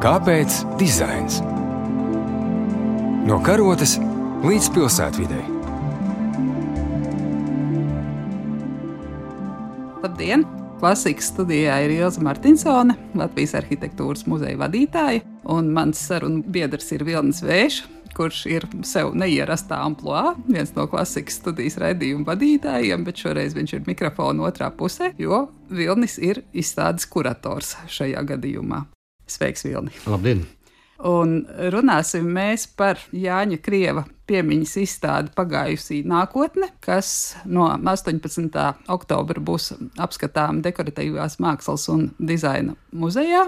Kāpēc dizains? No karotes līdz pilsētvidei. Labdien! Klasikas studijā ir Ilze Martinsone, Latvijas arhitektūras muzeja vadītāja, un mans sarunu biedrs ir Vilnis Vējš, kurš ir sev neierastā amploā, viens no klasikas studijas raidījuma vadītājiem, bet šoreiz viņš ir mikrofona otrā pusē, jo Vilnis ir izstādes kurators šajā gadījumā. Sveiks, Vilni! Labdien! Un runāsim mēs par Jāņa Krieva piemiņas izstādi Pagājusī nākotne, kas no 18. oktobra būs apskatām Dekoratīvās mākslas un dizaina muzejā.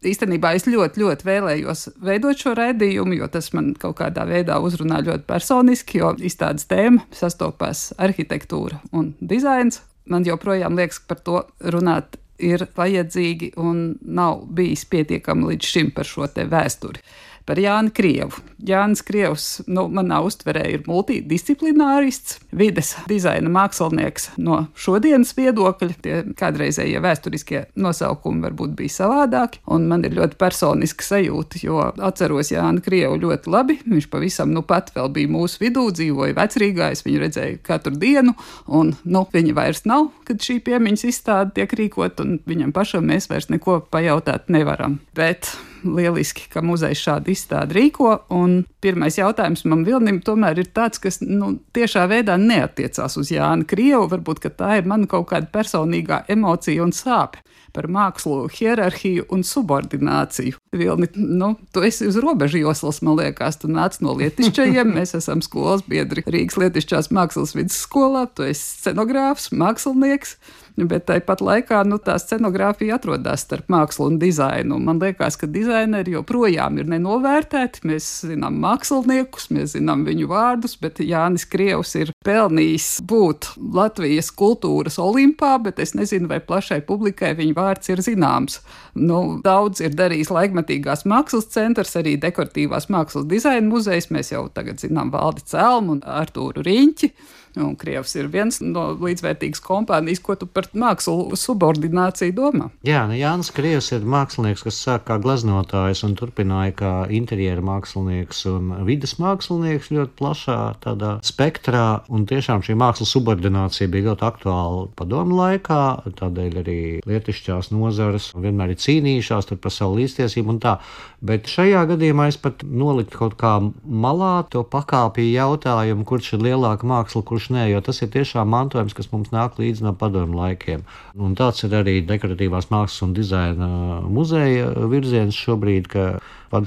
Īstenībā es ļoti vēlējos veidot šo raidījumu, jo tas man kaut kādā veidā uzrunā ļoti personiski, jo izstādes tēma sastopās arhitektūra un dizains. Man joprojām liekas, ka par to runāt ir vajadzīgi un nav bijis pietiekami līdz šim par šo te vēsturi. Par Jāni Krievu. Jānis Krievs, manā uztverē ir multidisciplinārists, vides dizaina mākslinieks no šodienas viedokļa. Tie kādreizējie vēsturiskie nosaukumi varbūt bija savādāki, un man ir ļoti personiska sajūta, jo atceros Jāni Krievu ļoti labi. Viņš pavisam pat vēl bija mūsu vidū, dzīvoja Vecrīgā, es viņu redzēju katru dienu, un viņa vairs nav, kad šī piemiņas izstāde tiek rīkot, un viņam pašam mēs vairs neko pajautāt nevaram. Bet lieliski, ka muzejs šādu izstādi rīko, un pirmais jautājums man Vilnim tomēr ir tāds, kas tiešā veidā neatiecās uz Jāni Krievu, varbūt, ka tā ir mana kaut kāda personīgā emocija un sāpe par mākslu, hierarhiju un subordināciju. Vilni, tu esi uz robežu joslas, man liekas, tu nāc no Lietišķajiem, mēs esam skolas biedri Rīgas Lietišķās mākslas vidusskolā, tu esi scenogrāfs, mākslinieks, bet tāpat laikā tā scenogrāfija atrodas starp mākslu un dizainu. Man liekas, ka dizaineri joprojām ir nenovērtēti. Mēs zinām māksliniekus, mēs zinām viņu vārdus, bet Jānis Krievs ir pelnījis būt Latvijas kultūras olimpā, bet es nezinu, vai plašai publikai viņa vārds ir zināms. Daudz ir darījis laikmetīgās mākslas centrs, arī Dekoratīvās mākslas dizaina muzejs. Mēs jau tagad zinām Valdi Celmu un Artūru Riņķi. Un Krievs ir viens no līdzvērtīgas kompānijas, ko tu par mākslu subordināciju domā? Jā, Jānis Krievs ir mākslinieks, kas sāk kā gleznotājs un turpināja kā interjera mākslinieks un vides mākslinieks ļoti plašā tādā spektrā, un tiešām šī mākslas subordinācija bija ļoti aktuāla padomu laikā, tādēļ arī lietišķās nozares vienmēr ir cīnījušās tur par savu līdztiesību un tā, bet šajā gadījumā es pat noliktu kaut kā malā to pakāpju jautājumu, kurš ir lielāka māksla, kurš nē, jo tas ir tiešām mantojums, kas mums nāk līdzi no padomu laikiem. Un tāds ir arī Dekoratīvās mākslas un dizaina muzeja virziens šobrīd, ka,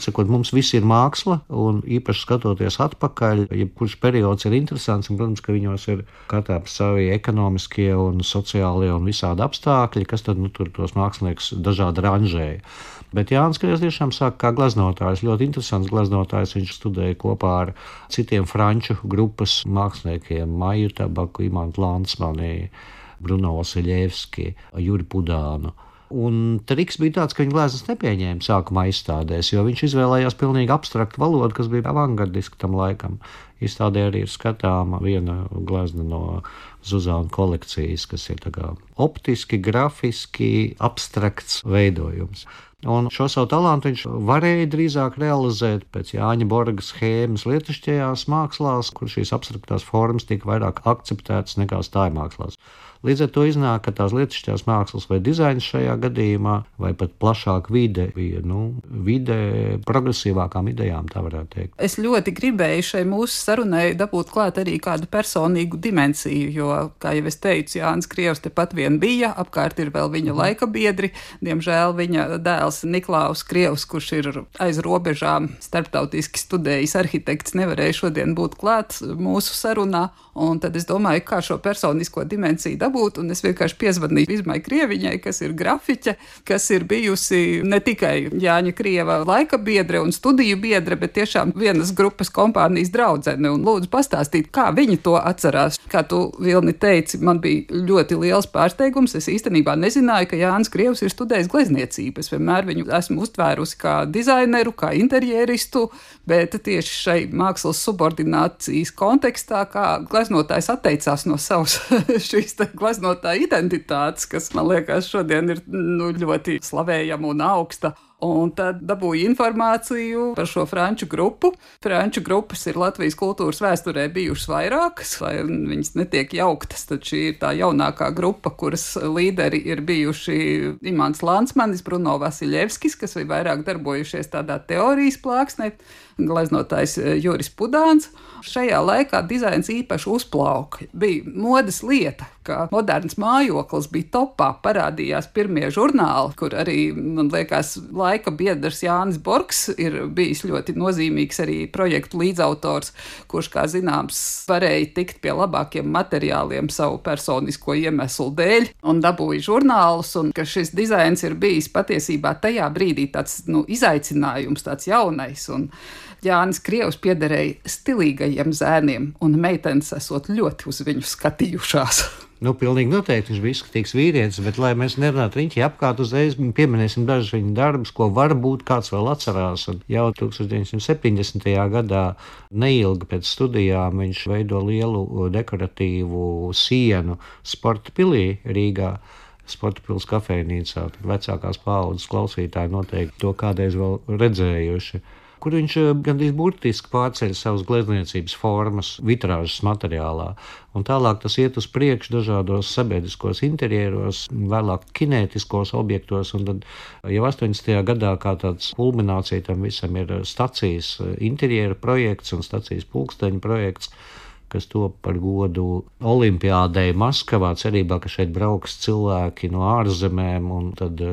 sakot, mums viss ir māksla, un īpaši skatoties atpakaļ, jebkurš periods ir interesants, un, protams, ka viņos ir katrā savi ekonomiskie un sociālie un visādi apstākļi, kas tad tur tos māksliniekus dažādi ranžēja. Bet Jānis Krievs tiešām sāk kā gleznotājs, ļoti interesants gleznotājs. Viņš studēja kopā ar citiem franču grupas māksliniekiem, Maju Tabaku, Imantu Lansmani, Bruno Vasiljevski, Juri Pudānu. Un triks bija tāds, ka viņa gleznas nepieņēma sākumā izstādēs, jo viņš izvēlējās pilnīgi abstraktu valodu, kas bija avangardiski tam laikam. Izstādē arī ir skatāma viena glezna no Zuzāna kolekcijas, kas ir tā kā optiski, grafiski, abstrakts veidojums. Un šo savu talantu viņš varēja drīzāk realizēt pēc Jāņa Borga schēmas lietišķajās mākslās, kur šīs abstraktās formas tika vairāk akceptētas nekā stājmākslās. Līdz ar to iznāk, ka tās lietišķās mākslas vai dizains šajā gadījumā, vai pat plašāk vide bija, vide progresīvākām idejām, tā varētu teikt. Es ļoti gribēju šai mūsu sarunai dabūt klāt arī kādu personīgu dimensiju, jo, kā jau es teicu, Jānis Krievs tepat vien bija, apkārt ir vēl viņa laika biedri, diemžēl viņa dēls Niklaus Krievs, kurš ir aiz robežām starptautiski studējis arhitekts, nevarēja šodien būt klāt mūsu sarunā, un tad es domāju, kā šo personisko dimensiju dabūt, un es vienkārši piezvanīju Izmai Krieviņai, kas ir grafiķe, kas ir bijusi ne tikai Jāņa Krieva laika biedre un studiju biedre, bet tiešām vienas grupas kompānijas draudzene, un lūdzu pastāstīt, kā viņi to atcerās. Kā tu, Vilni, teici, man bija ļoti liels pārsteigums, es īstenībā nezināju, ka Jānis Krievs ir studējis glezniecību. Es vienmēr viņu esmu uztvērusi kā dizaineru, kā interjeristu, bet tieši šai mākslas subordinācijas kontekstā, kā gleznotājs atteicās no savas šīs gleznotāja identitātes, kas, man liekas, šodien ir ļoti slavējama un augsta. Un tad dabūju informāciju par šo franču grupu. Franču grupas ir Latvijas kultūras vēsturē bijušas vairākas, lai viņas netiek jauktas. Tad šī ir tā jaunākā grupa, kuras līderi ir bijuši Imants Lansmanis, Bruno Vasiljevskis, kas ir vairāk darbojušies tādā teorijas plāksnē, gleznotājs Juris Pudāns. Šajā laikā dizains īpaši uzplauka. Bija modes lieta, ka moderns mājoklis bija topā, parādījās pirmie žurnāli, kur arī, man liekas, laika biedrs Jānis Borgs ir bijis ļoti nozīmīgs arī projektu līdzautors, kurš, kā zināms, varēja tikt pie labākiem materiāliem savu personisko iemeslu dēļ un dabūja žurnālus, un ka šis dizains ir bijis patiesībā tajā brīdī tāds, izaicinājums, tāds jaunais, un Jānis Krievs piederēja stilīgajiem zēniem, un meitenes esot ļoti uz viņu skatījušās. Pilnīgi noteikti viņš bija izskatīgs vīrietis, bet, lai mēs nerunātu riņķi apkārt, uzreiz pieminēsim dažus viņa darbus, ko varbūt kāds vēl atcerās. Un jau 1970. gadā, neilgi pēc studijām, viņš veido lielu dekoratīvu sienu Sporta pilī Rīgā. Sporta pils kafejnīcā. Vecākās paaudzes klausītāji noteikti to kādreiz vēl redzējuši. Kur viņš gandrīz burtiski pārceļ savas glezniecības formas vitrāžas materiālā. Un tālāk tas iet uz priekšu dažādos sabiedriskos interjeros, vēlāk kinētiskos objektos, un tad jau 80. gadā kā tāds kulminācija tam visam ir stacijas interjera projekts un stacijas pulksteņa projekts, kas top par godu Olimpiādei Maskavā, cerībā, ka šeit brauks cilvēki no ārzemēm, un tad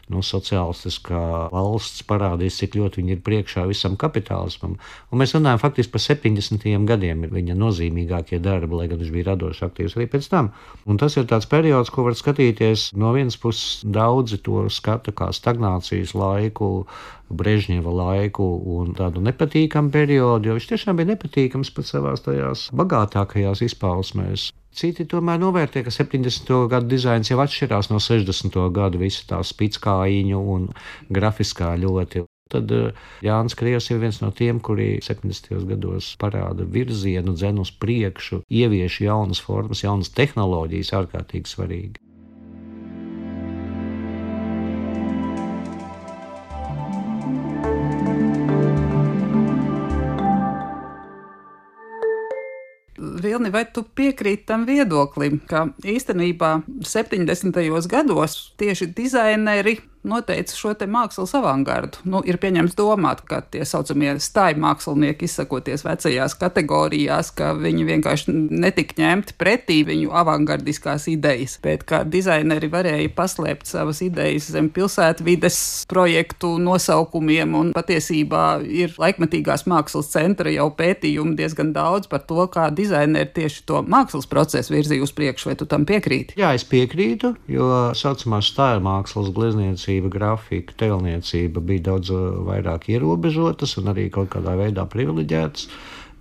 sociālistiskā valsts parādīs, cik ļoti viņi ir priekšā visam kapitālismam. Un mēs runājam faktiski par 70. gadiem, ir viņa nozīmīgākie darbi, lai gan viņš bija radoši aktīvs arī pēc tam. Un tas ir tāds periods, ko var skatīties no vienas puses, daudzi to skata kā stagnācijas laiku, Brežņeva laiku un tādu nepatīkamu periodu, jo viņš tiešām bija nepatīkams pat savās tajās bagātākajās izpausmēs. Citi tomēr novērtē, ka 70. gadu dizains jau atšķirās no 60. gadu, visa tā spickājiņu un grafiskā ļoti. Tad Jānis Krievs ir viens no tiem, kuri 70. gados parāda virzienu, dzen uz priekšu, ievieš jaunas formas, jaunas tehnoloģijas, ārkārtīgi svarīgi. Vilni, vai tu piekrīti tam viedoklim, ka īstenībā 70. gados tieši dizaineri noteica šo te mākslas avangardu? Ir pieņemts domāt, ka tie saucamie stāju mākslinieki, izsakoties vecajās kategorijās, ka viņi vienkārši netika ņemti pretī viņu avangardiskās idejas, bet ka dizaineri varēja paslēpt savas idejas zem pilsētvides projektu nosaukumiem, un patiesībā ir laikmetīgās mākslas centra jau pētījumi diezgan daudz par to, kā dizaineri tieši to mākslas procesu virzīja uz priekšu. Vai tu tam piekrīti? Jā, es piekrītu, jo saucamā stāju mākslas glezniecība, grafika, tēlniecība bija daudz vairāk ierobežotas un arī kaut kādā veidā privileģētas,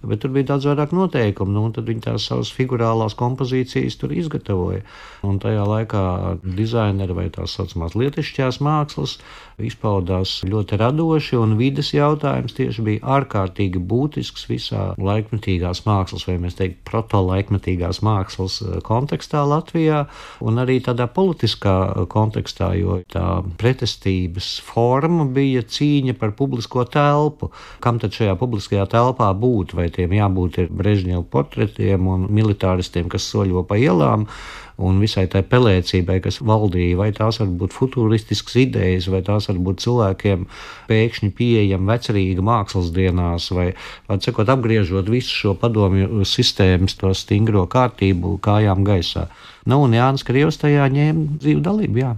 bet tur bija daudz vairāk noteikumu, un tad viņi tās savas figurālās kompozīcijas tur izgatavoja. Un tajā laikā dizaineri vai tās saucamās lietišķās mākslas izpaudās ļoti radoši, un vides jautājums tieši bija ārkārtīgi būtisks visā laikmetīgās mākslas, vai mēs teiktu protolaikmetīgās mākslas kontekstā Latvijā, un arī tādā politiskā kontekstā, jo tā pretestības forma bija cīņa par publisko telpu. Kam tad šajā publiskajā telpā būt? Vai tiem jābūt ir Brežņeva portretiem un militāristiem, kas soļo pa ielām, un visai tai pelēcībai, kas valdīja, vai tās var būt futuristiskas idejas, vai tās var būt cilvēkiem pēkšņi pieejama vecerīga mākslas dienās, vai sakot, apgriežot visu šo padomju sistēmas, to stingro kārtību kājām gaisā. Un Jānis Krievs tajā ņēma dzīvu dalību, jā.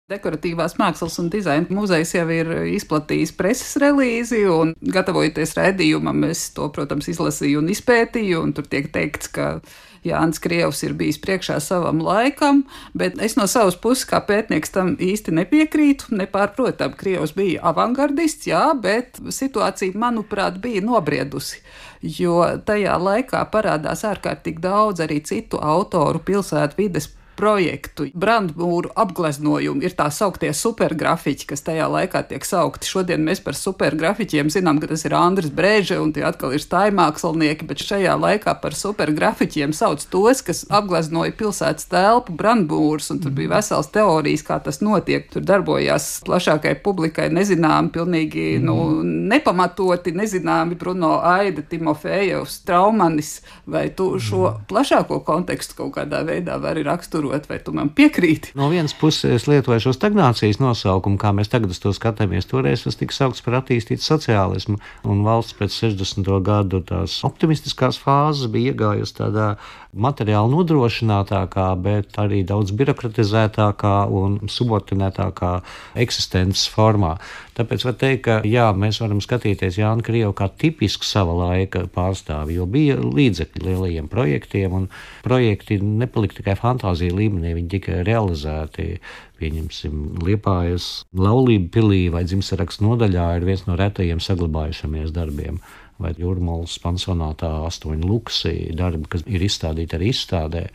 Dekoratīvās mākslas un dizaina muzejs jau ir izplatījis preses relīzi, un gatavojoties raidījumam, es to, protams, izlasīju un izpētīju, un tur tiek teikts, ka Jānis Krievs ir bijis priekšā savam laikam, bet es no savas puses kā pētnieks tam īsti nepiekrītu. Nepārprotam, Krievs bija avangardists, jā, bet situācija, manuprāt, bija nobriedusi, jo tajā laikā parādās ārkārtīgi daudz arī citu autoru pilsētvides projektu. Brandmūru apgleznojumi ir tā sauktie supergrafiķi, kas tajā laikā tiek saukti. Šodien mēs par supergrafiķiem zinām, ka tas ir Andris Brēže un tie atkal ir stājmākslinieki, bet šajā laikā par supergrafiķiem sauc tos, kas apgleznoja pilsētas telpu, brandmūrus, un tur bija vesels teorijas, kā tas notiek. Tur darbojās plašākai publikai nezināmi, pilnīgi nepamatoti nezināmi Bruno Aida, Timofejevs, Traumanis. Vai tu šo plašāko kontekstu kaut kādā veidā vari raksturot, vai tu man piekrīti? No vienas puses es lietoju šo stagnācijas nosaukumu, kā mēs tagad uz to skatāmies. Toreiz tas tika saukts par attīstītu sociālismu, un valsts pēc 60. gadu tās optimistiskās fāzes bija iegājusi tādā materiāli nodrošinātākā, bet arī daudz birokratizētākā un subordinētākā eksistences formā. Tāpēc var teikt, ka jā, mēs varam skatīties Jāni Krievu kā tipisku sava laika pārstāvi, jo bija līdzekļi lielajiem projektiem, un projekti nepalika tikai fantāzija līmenī, viņi tika realizēti. Pieņemsim, Liepājas laulību pilī vai dzimtsarakstu nodaļā ir viens no retajiem saglabājušamies darbiem. Vai Jūrmalas pansionātā 8 luksi darbi, kas ir izstādīti arī izstādē.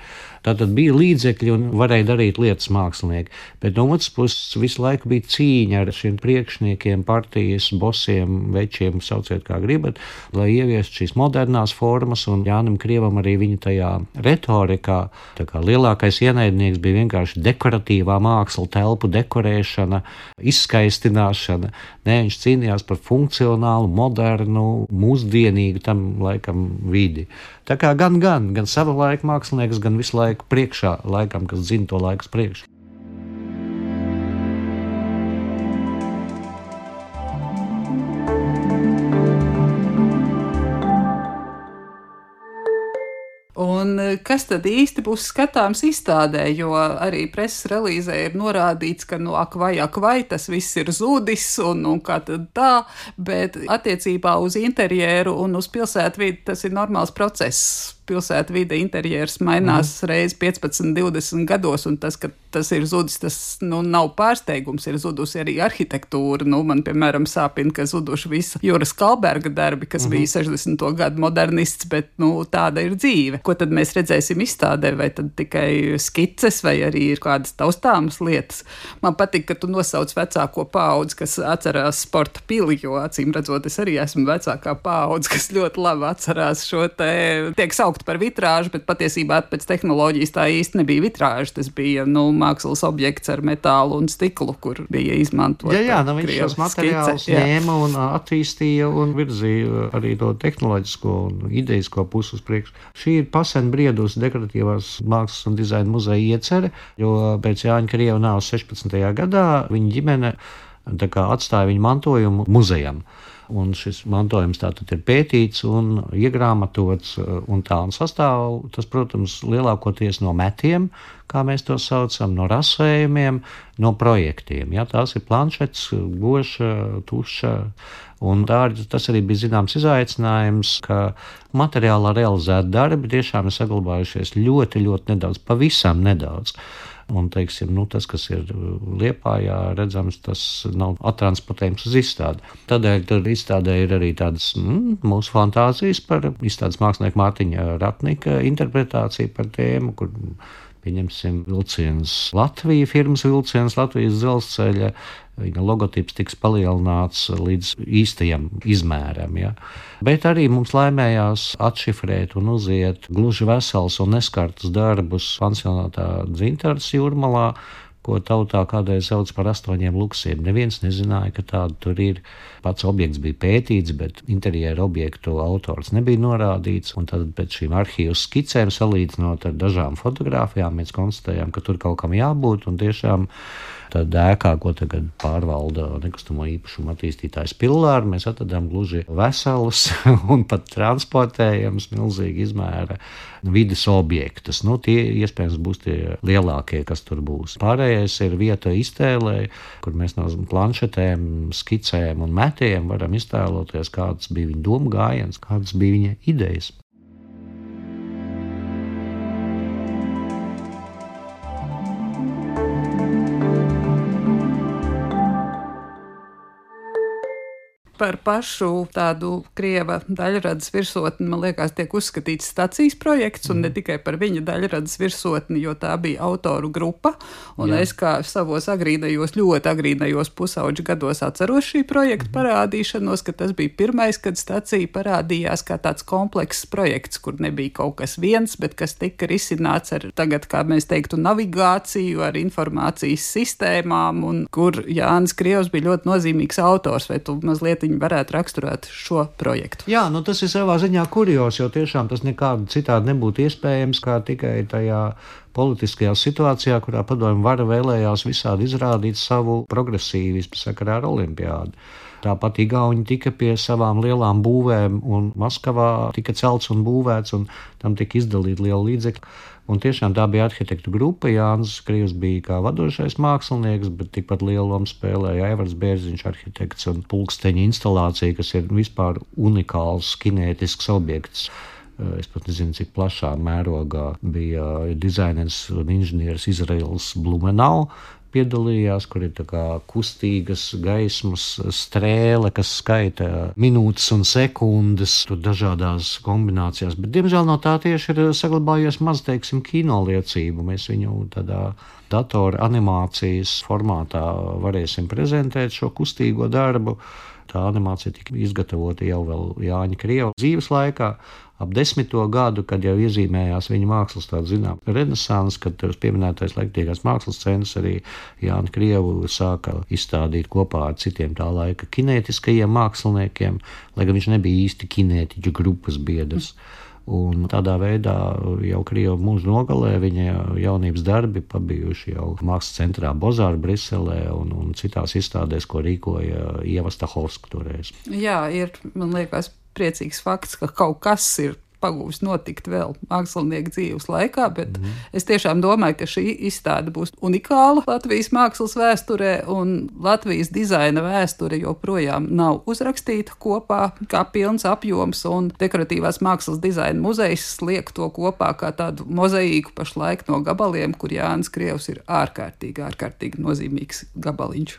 Tātad bija līdzekļi un varēja darīt lietas mākslinieki, bet no otras puses visu laiku bija cīņa ar šiem priekšniekiem, partijas, bosiem, večiem, sauciet kā gribat, lai ieviestu šīs modernās formas, un Jānim Krievam arī viņa tajā retorikā, tā kā lielākais ienaidnieks bija vienkārši dekoratīvā māksla, telpu dekorēšana, izskaistināšana. Nē, viņš cīnījās par funkcionālu, modernu, mūsdienīgu tam laikam vidi. Tā kā gan sava laika mākslinieks, gan visu laiku priekšā laikam, kas zina to laiku priekšu. Un kas tad īsti būs skatāms izstādē, jo arī preses relīzē ir norādīts, ka ak vai, tas viss ir zudis un kā tad tā, bet attiecībā uz interjeru un uz pilsētvidi tas ir normāls process. Pilsētvide interjers mainās reiz 15, 20 gados, un tas, ka tas ir zudis, tas nav pārsteigums, ir zudusi arī arhitektūra. Man, piemēram, sāpina, ka zuduši visa Jūras Kalberga darbi, kas bija 60. gadu modernists, bet tāda ir dzīve. Ko tad mēs redzēsim izstādē, vai tad tikai skices, vai arī ir kādas taustāmas lietas? Man patīk, ka tu nosauc vecāko paudzi, kas atcerās sporta pili, jo acīm redzot, es arī esmu vecākā paudze, kas ļoti labi atcerās šo tiek saukt par vitrāžu, bet patiesībā pēc tehnoloģijas tā īsti nebija vitrāža. Tas bija mākslas objekts ar metālu un stiklu, kur bija izmantot. Jā, viņš šos materiālus ņēma un attīstīja un virzīja arī to tehnoloģisko un idejisko pusi uz priekšu. Šī ir pasen briedusi dekoratīvās mākslas un dizaina muzeja iecere, jo pēc Jāņa Krieva nāves 16. gadā viņa ģimene atstāja viņu mantojumu muzejam. Un šis mantojums tātad ir pētīts un iegrāmatots un tā, un sastāv tas, protams, lielākoties no metiem, kā mēs to saucam, no rasējumiem, no projektiem. Ja, tās ir planšets, goša, tuša, un tas arī bija zināms izaicinājums, ka materiālā realizēti darbi tiešām ir saglabājušies ļoti, ļoti nedaudz, pavisam nedaudz. Un, teiksim, tas, kas ir Liepājā redzams, tas nav attransportējums uz izstādi. Tādēļ tur izstādē ir arī tādas mūsu fantāzijas par izstādes mākslinieku Mārtiņa Ratnika interpretāciju par tēmu, kur pieņemsim vilciens Latvija, firmas vilciens Latvijas dzelzceļa, viņa logotips tiks palielināts līdz īstajam izmēram. Ja. Bet arī mums laimējās atšifrēt un uziet gluži vesels un neskartus darbus pansionātā Dzintars Jūrmalā, ko tautā kādreiz sauc par 8 luksiem. Neviens nezināja, ka tāda tur ir. Pats objekts bija pētīts, bet interjera objektu autors nebija norādīts. Un tad pēc šīm arhīvu skicēm salīdzinot ar dažām fotogrāfijām, mēs konstatējām, ka tur kaut kam jābūt. Un tiešām tādā ēkā, ko tagad pārvalda nekustamo īpašumu attīstītājs Pillāri, mēs atradām gluži veselus un pat transportējams milzīgi izmēra vides objektus. Tie iespējams būs tie lielākie, kas tur būs. Pārējais ir vieta iztēlē, kur mēs no planšetēm, skicēm un metiem varam iztēloties, kāds bija viņa doma gājiens, kādas bija viņa idejas. par pašu tādu krieva daļradas virsotni, man liekas, tiek uzskatīts stacijas projekts, un ne tikai par viņa daļradas virsotni, jo tā bija autoru grupa, un es kā savos ļoti agrīnajos pusauģu gados atceros šī projekta parādīšanos, ka tas bija pirmais, kad stacija parādījās kā tāds komplekss projekts, kur nebija kaut kas viens, bet kas tika risināts ar tagad, kā mēs teiktu, navigāciju, ar informācijas sistēmām, un kur Jānis Krievs bija ļoti nozīmīgs autors, vai tu mazliet viņu varētu raksturēt šo projektu? Jā, tas ir savā ziņā kurios, jo tiešām tas nekādu citādi nebūtu iespējams, kā tikai tajā politiskajā situācijā, kurā padomju vara vēlējās visādi izrādīt savu progresīvismu sakarā ar olimpiādu. Tāpat igauņi tika pie savām lielām būvēm, un Maskavā tika celts un būvēts, un tam tika izdalīti lieli līdzekļi. Un tiešām tā bija arhitektu grupa. Jānis Krievs bija kā vadošais mākslinieks, bet tikpat lielu lomu spēlēja Aivars Bērziņš, arhitekts, un pulksteņa instalācija, kas ir vispār unikāls kinētisks objekts. Es pat nezinu, cik plašā mērogā bija dizainers un inženieris Izraels Blumenau piedalījās, kur ir tā kā kustīgas gaismas strēle, kas skaita minūtes un sekundes, tur dažādās kombinācijās, bet diemžēl no tā tieši ir saglabājies maz, teiksim, kino liecību. Mēs viņu tādā datora animācijas formātā varēsim prezentēt šo kustīgo darbu. Tā animācija tika izgatavota jau vēl Jāņa Krieva dzīves laikā, ap 10. gadu, kad jau iezīmējās viņa mākslas tāda zinām renesans, kad uz pieminētais laiktīgās mākslas centrs arī Jāņa Krievu sāka izstādīt kopā ar citiem tā laika kinētiskajiem māksliniekiem, lai gan viņš nebija īsti kinētiķu grupas biedrs. Un tādā veidā jau Krieva mūža nogalē viņa jaunības darbi pabijuši jau mākslas centrā Bozāra Briselē un citās izstādēs, ko rīkoja Ieva Stahovska toreiz. Jā, ir, man liekas, priecīgs fakts, ka kaut kas ir pagūs notikt vēl mākslinieka dzīves laikā, bet es tiešām domāju, ka šī izstāde būs unikāla Latvijas mākslas vēsturē, un Latvijas dizaina vēsture joprojām nav uzrakstīta kopā kā pilns apjoms, un Dekoratīvās mākslas dizaina muzejs liek to kopā kā tādu mozaīku pašlaik no gabaliem, kur Jānis Krievs ir ārkārtīgi nozīmīgs gabaliņš.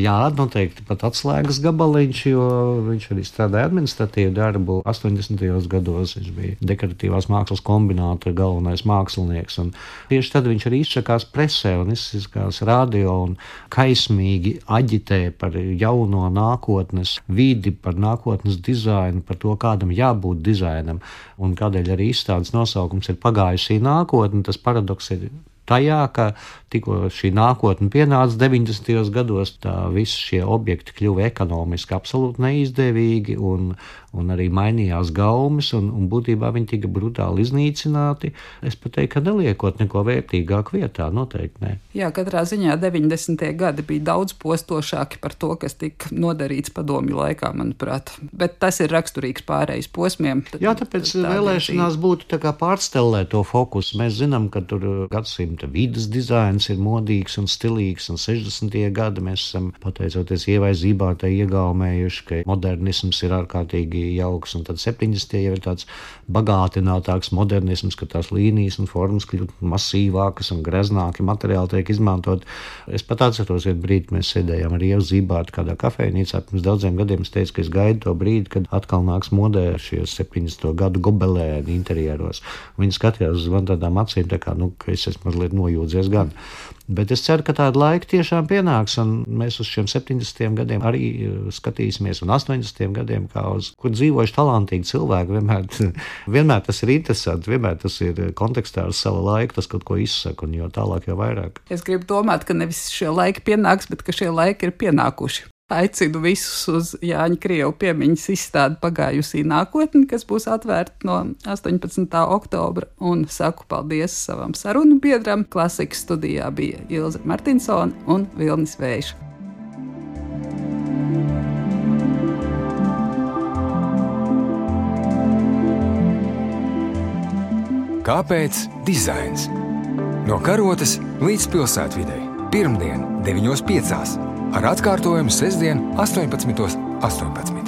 Jā, noteikti pat atslēgas gabaliņš, jo viņš arī strādāja administratīvu darbu 80. gados. Viņš bija Dekoratīvās mākslas kombināta galvenais mākslinieks, un tieši tad viņš arī izsakās presē un izsakās radio un kaismīgi aģitē par jauno nākotnes vidi, par nākotnes dizainu, par to, kādam jābūt dizainam, un kādēļ arī izstādes nosaukums ir Pagājusī nākotne. Tas paradoks ir tajā, ka tikko šī nākotne pienāca 90. gados, tā visi šie objekti kļuva ekonomiski absolūti neizdevīgi, un arī mainījās gaumes, un būtībā viņi tika brutāli iznīcināti. Es pat teiktu, ka neliekot neko vērtīgāku vietā, noteikti ne. Jā, katrā ziņā 90. gadi bija daudz postošāki par to, kas tika nodarīts padomju laikā, manuprāt. Bet tas ir raksturīgs pārējais posmiem. Jā, tāpēc vēlēšanās būtu tā kā pārstelēt to fokusu. Mēs zinām, ka tur gadsimta vides dizains ir modīgs un stilīgs, un 60. gadi mēs esam, pateicoties Ievai Zībārtai, iegaumējuši, ka modernisms ir ārkārtīgi jauks, un tad 70. jau ir tāds bagātinātāks modernisms, ka tās līnijas un formas kļūt masīvākas un greznāki materiāli tiek izmantot. Es pat atceros vienu brīdi, mēs sēdējām ar Ievu Zībārtu kādā kafejnīcā pirms daudziem gadiem. Es teicu, ka es gaidu to brīdi, kad atkal nāks modē šie 70. gadu gobelēni interjeros. Viņi skatījās uz man tādām acīm, tā kā, ka es esmu mazliet nojūdzies gan. Bet es ceru, ka tāda laika tiešām pienāks, un mēs uz šiem 70. gadiem arī skatīsimies, un 80. gadiem, kā uz kur dzīvojuši talantīgi cilvēki. Vienmēr tas ir interesanti, vienmēr tas ir kontekstā ar savu laiku, tas kaut ko izsaka, un jo tālāk, jo vairāk. Es gribu domāt, ka nevis šie laiki pienāks, bet ka šie laiki ir pienākuši. Aicinu visus uz Jāņa Krieva piemiņas izstādi Pagājusī nākotne, kas būs atvērta no 18. oktobra, un saku paldies savam sarunu biedram. Klasikas studijā bija Ilze Martinsone un Vilnis Vējš. Kāpēc dizains? No karotes līdz pilsētvidei. Pirmdien 9.5. ar atkārtojumu sestdien 18.18.